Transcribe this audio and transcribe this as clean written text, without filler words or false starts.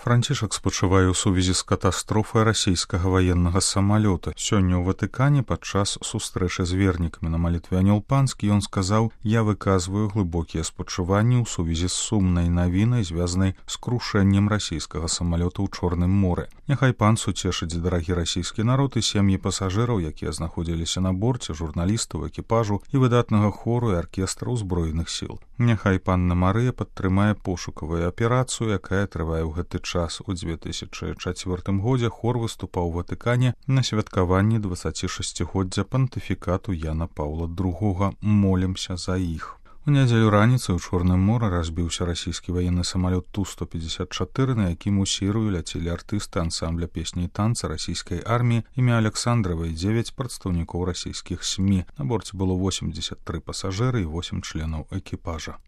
Францішак спачувае ў сувязі з катастрофай расійскага ваеннага самалёта. Сёння ў Ватыкане падчас сустрэчы з вернікамі на малітве Анёл Панскі ён сказаў: «Я выказваю глыбокія спачуванні ў сувязі з сумнай навінай, звязанай з крушэннем расійскага самалёта ў Чорным моры. Няхай пан суцешыць дарагі расійскі народ і сем'і пасажыраў, якія знаходзіліся на борце, журналістаў, экіпажу і выдатнага хору і аркестра ўзброеных сіл. Няхай панна Марыя падтрымае пошукавую аперацыю, якая трывае ў гэты час. У 2004 годзе хор выступаў у Ватыкане на святкаванні 26годдзя пантыфікату Яна Паўла II. Молімся за іх. У нядзелю раніцай у Чорным моры разбіўся расійскі ваенны самалёт Ту-154, на якім у Сірыю ляцелі артысты ансамбля песні і танца расійскай арміі імя Александрава і 9 прадстаўнікоў расійскіх СМІ. На борце было 83 пасажыры і 8 членаў экіпажа.